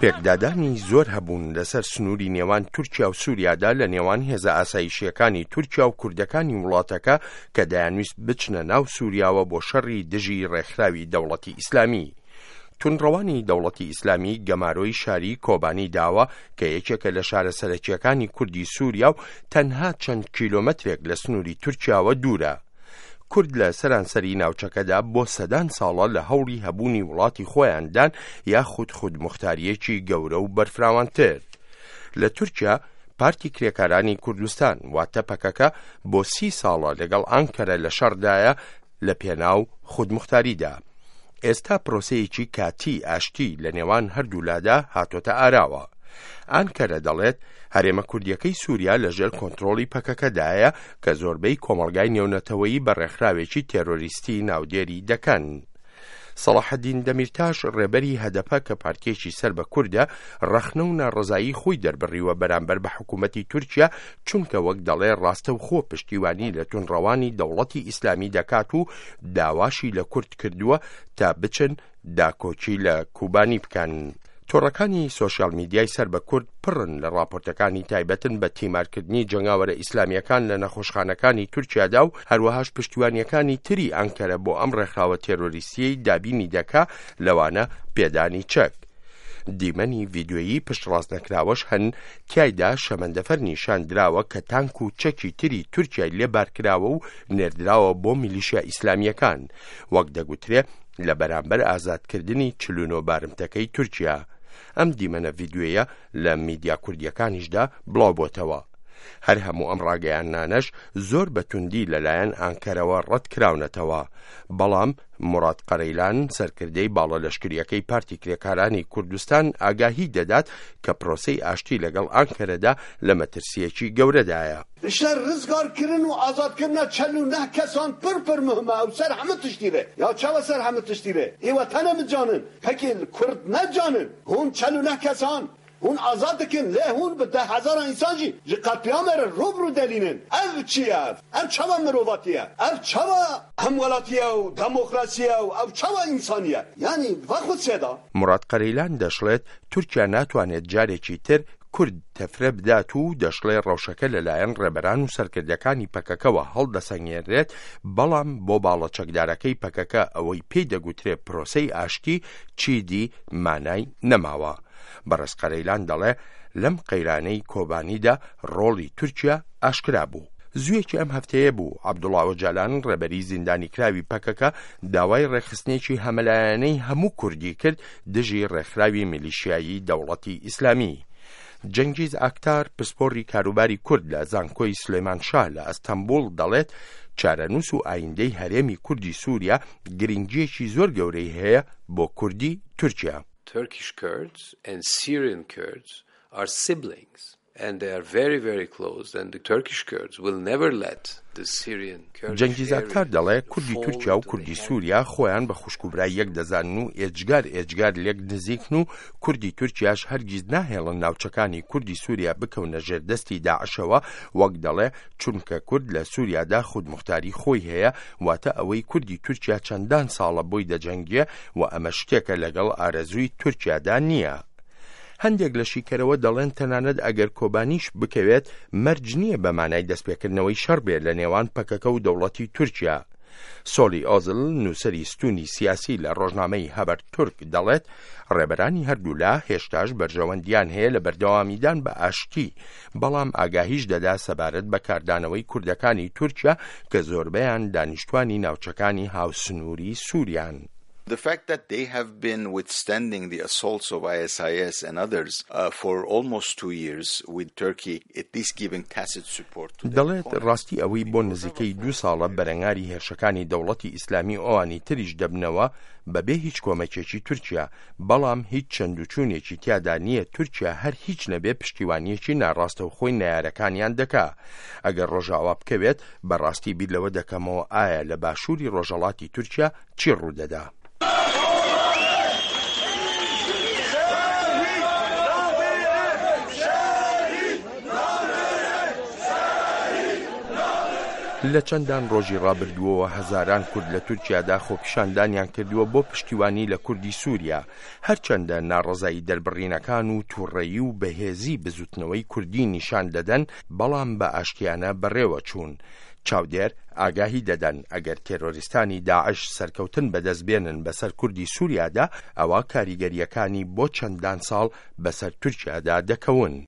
پێکدادانی زۆر هەبوون لەسەر سنووری نێوان تورکیا و سووریادا لە نێوان هێزە ئاسایشییەکانی تورکیا و کوردەکانی وڵاتەکە کە دەیانویست بچنە ناو سووریاوە بۆ شەڕی دژی ڕێکخراوی دەوڵەتی ئیسلامی. توندڕەوانی دەوڵەتی ئیسلامی گەمارۆی شاری کۆبانی داوە کە یەکێکە لە شارە سەرەکییەکانی کوردی سووریا و تەنها چەند کیلۆمەترێک لە سنووری تورکیاوە دوورە. کورد لە سەرانسەری ناوچەکەدا بۆ سەدان ساڵە لە هەوڵی هەبوونی وڵاتی خۆیاندان یاخود خودموختارییەکی گەورە و بەرفراوانتر. لە تورکیا پارتی کرێکارانی کوردستان واتە پەکەکە بۆ سی ساڵە لەگەڵ ئانکەرە لە شەڕدایە لە پێناو خودموختاریدا. ئێستا پرۆسەیەکی کاتیی ئاشتی لە نێوان هەردوولادا هاتۆتە ئاراوە. ئانکەرە دەڵێت، هەرێمە کوردییەکەی سووریا لە ژێر کۆنترۆڵی پەکەکەدایە کە زۆربەی کۆمەڵگای نێونەتەوەیی بە ڕێکخراوێکی تێرۆریستی ناودێری دەکەن. سەڵاحەدین دەمیرتاش ڕێبەری هەدەپە کە پارتییەکی سەر بە کوردە، ڕەخنە و ناڕەزایی خۆی دەربڕیوە بەرامبەر بە حکوومەتی تورکیا چونکە وەک دەڵێ ڕاستەوخۆ پشتیوانی لە توندڕەوانی دەوڵەتی ئیسلامی دەکات و داواشی لە کورد کردووە تا بچن داکۆکی لە کوبانی بکەن. تۆڕەکانی سۆشیال میدیای سەر بە کورد پڕن لە ڕاپۆرتەکانی تایبەتن بە تیمارکردنی جەنگاوەرە ئیسلامییەکان لە نەخۆشخانەکانی تورکیادا و هەروەهاش پشتیوانییەکانی تری ئەنکەرە بۆ ئەم ڕێکخراوە تێرۆریستییەی دابینی دەکا لەوانە پێدانی چەک. دیمەنی ڤیدیۆیی پشتڕاستنەکراوەش هەن تیایدا شەمەندەفەر نیشان دراوە کە تانک و چەکی تری تورکیای لێ بارکراوە و نێردراوە بۆ میلیشیا ئیسلامییەکان وەک دەگوترێ لە بەرامبەر ئازادکردنی 49 بارمتەکەی تورکیا. ئەم دیمەنە ڤیدیۆیە لە میدیا کوردییەکانیشدا بڵاوبۆتەوە. هەر هەموو ئەم ڕاگەیاندنانەش زۆر بە توندی لەلایەن ئانکەرەوە ڕەت کراونەتەوە. بەڵام موراد قەرەیلان، سەرکردەی باڵە لەشکرییەکەی پارتی کرێکارانی کوردستان ئاگاهی دەدات کە پرۆسەی ئاشتی لەگەڵ ئانکەرەدا لە مەترسییەکی گەورەدایە. شەر رزگار کرن و ئازاد کرنا چەل و نەه کەسان پر پر مهمە ئەو سەر هەمە تشتی بێ یا چەوە سەر هەمە تشتی بێ ئێوە تەنە مجانن پەکی کورد نەجانن هون چەل و نەه کەسان هون ئازاد دکن لێ هون بە دە هەزاران ئینسان ژی ژ قەتلیامێ رە ڕوو بڕوو دەلینن ئەڤ چیە ئەڤ ئەڤ چەوە مرۆڤاتیە ئەڤ چەوە هەموەلاتیە و دەمۆکراسیە و ئەڤ چەوە ئینسانیە یانی ڤە خود سێدا. موراد قەرەیلان دەشڵێت، تورکیا ناتوانێت جارێکی تر کورد تەفرە بدات و دەشڵێ ڕەوشەکە لەلایەن ڕێبەران و سەرکردەکانی پەکەکەوە هەڵدەسەنگێنرێت، بەڵام بۆ باڵە چەکدارەکەی پەکەکە ئەوەی پێی دەگوترێ پرۆسەی ئاشتی چیدی مانای نەماوە. بەڕێز قەرەیلان دەڵێ لەم قەیرانەی کۆبانیدا ڕۆڵی تورکیا ئاشکرا بوو. زوویەکی ئەم هەفتەیە بوو، عەبدوڵا ئۆجالان، ڕێبەری زیندانیکراوی پەکەکە، داوای ڕێکخستنێکی هەمەلایەنەی هەموو کوردی کرد دژی ڕێکخراوی میلیشیایی دەوڵەتی ئیسلامی. جەنگیز ئاکتار، پسپۆڕی کاروباری کورد لە زانکۆی سلێمان شا لە ئەستەنبوڵ دەڵێت، چارەنووس و ئایندەی هەرێمی کوردی سووریا گرنگییەکی زۆر گەورەی هەیە بۆ کوردی تورکیا. Turkish Kurds and Syrian Kurds are siblings and they are very very close and the Turkish Kurds will never let the Syrian Kurdish جەنگیز ئاکتار area دەڵێ کوردی fall تورکیا و into the کوردی hands سووریا خۆیان بە خوشک و برای یەک دەزانن و ئێجگار ئێجگار لێک نزیکن و کوردی تورکیاش هەرگیز ناهێڵن ناوچەکانی کوردی سووریا بکەونە ژێر دەستی داعشەوە وەک دەڵێ چونکە کورد لە سووریادا خودموختاری خۆی هەیە واتە ئەوەی کوردی تورکیا چەندان ساڵە بۆی دەجەنگێ و ئەمە شتێکە لەگەڵ ئارەزووی تورکیادا نییە. هەندێک لە شیکەرەوە دەڵێن تەنانەت ئەگەر کۆبانیش بکەوێت مەرج نییە بە مانای دەستپێکردنەوەی شەڕ بێ لە نێوان پەکەکە و دەوڵەتی تورکیا. سۆلی ئۆزل نووسەری ستوونی سیاسی لە ڕۆژنامەی هەبەر تورک دەڵێت ڕێبەرانی هەردوولا هێشتاش بەرژەوەندیان هەیە لە بەردەوامیدان بە ئاشتی بەڵام ئاگاهیش دەدا سەبارەت بە کاردانەوەی کوردەکانی تورکیا کە زۆربەیان دانیشتوانی ناوچەکانی هاوسنووری سووریان. The fact that they have been withstanding the assaults of ISIS and others for almost two years with Turkey at least giving tacit support to their دەڵێت opponents ڕاستی ئەوەی بۆ نزیکەی دوو ساڵە بەرەنگاری هێرشەکانی دەوڵەتی ئیسلامی و ئەوانی تریش دەبنەوە بەبێ هیچ کۆمەکێکی تورکیا بەڵام هیچ چەندوچوونێکی تیادا نییە تورکیا هەر هیچ نەبێ پشتیوانییەکی ناڕاستەوخۆی نەیارەکانیان دەکا ئەگەر ڕۆژاوا بکەوێت بەڕاستی بیر لەوە دەکەمەوە ئایا لە باشووری ڕۆژهەڵاتی تورکیا چی ڕوودەدا. لە چەندان ڕۆژی ڕابردووەوە هەزاران کورد لە تورکیادا خۆپیشاندانیان کردووە بۆ پشتیوانی لە کوردی سووریا، هەرچەندە ناڕەزایی دەربڕینەکان و تووڕەیی و بەهێزی بزوتنەوەی کوردی نیشان دەدەن، بەڵام بە ئاشتیانە بەڕێوە چوون. چاودێر ئاگاهی دەدەن ئەگەر تێرۆریستانی داعش سەرکەوتن بەدەست بێنن بەسەر کوردی سووریادا، ئەوا کاریگەرییەکانی بۆ چەندان ساڵ بەسەر تورکیادا دەکەون.